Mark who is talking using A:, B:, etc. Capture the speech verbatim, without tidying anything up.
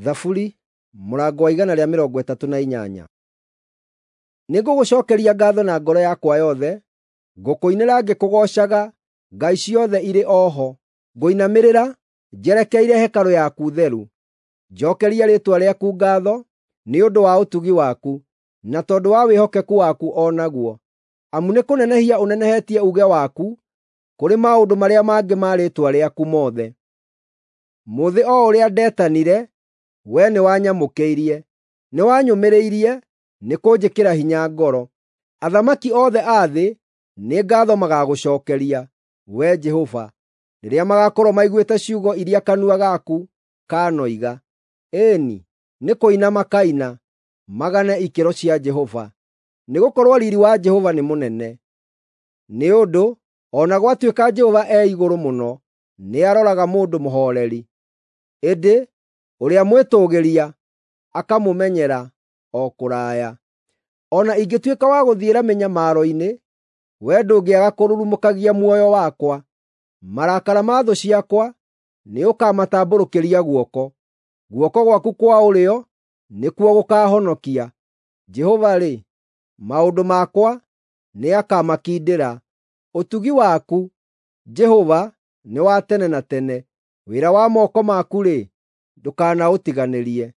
A: Thaburi mũrango wa igana rĩa mĩrongo ĩtatũ na inyanya. Nĩngũgũcookeria ngaatho na ngoro yakwa yothe, ngũkũinĩra ngĩkũgoocaga, ngai ciothe irĩ o ho. Ngũinamĩrĩra njerekeire hekarũ yaku theru, njookeria rĩĩtwa rĩaku ngaatho nĩ ũndũ wa ũtugi waku, na tondũ wa wĩhokeku waku o naguo. Amu nĩkũnenehia ũnenehetie uuge waku kũrĩ maũndũ marĩa mangĩ ma rĩĩtwa rĩaku mothe. Mũthĩ o ũrĩa ndetanire, wee nĩwanyamũkĩirie; nĩwanyũmĩrĩirie nĩkũnjĩkĩra hinya ngoro. Athamaki othe a thĩ nĩ ngaatho magaagũcookeria, Wee Jehova, rĩrĩa magaakorwo maiguĩte ciugo iria kanua gaku kaanoiga. Ĩĩ-ni, nĩ kũina makaina, magane ikĩro cia Jehova, nĩgũkorwo riiri wa Jehova nĩ mũnene. Nĩ ũndũ o na gwatuĩka Jehova e igũrũ mũno, nĩaroraga mũndũ mũhooreri, ĩndĩ ũrĩa mwĩtũũgĩria akamũmenyera o kũraya. O na ingĩtuĩka wa gũthiĩra mĩnyamaro-inĩ, wee ndũngĩaga kũrurumũkagia muoyo wakwa. Marakara ma thũ ciakwa nĩũkamatambũrũkĩria guoko; guoko gwaku kwa ũrĩo nĩkuo gũkaahonokia. Jehova-rĩ, maũndũ makwa nĩakamakindĩra. Ũtugi waku, Jehova, nĩ wa tene na tene; wĩra wa moko maku-rĩ, ndũkanaũtiganĩrie.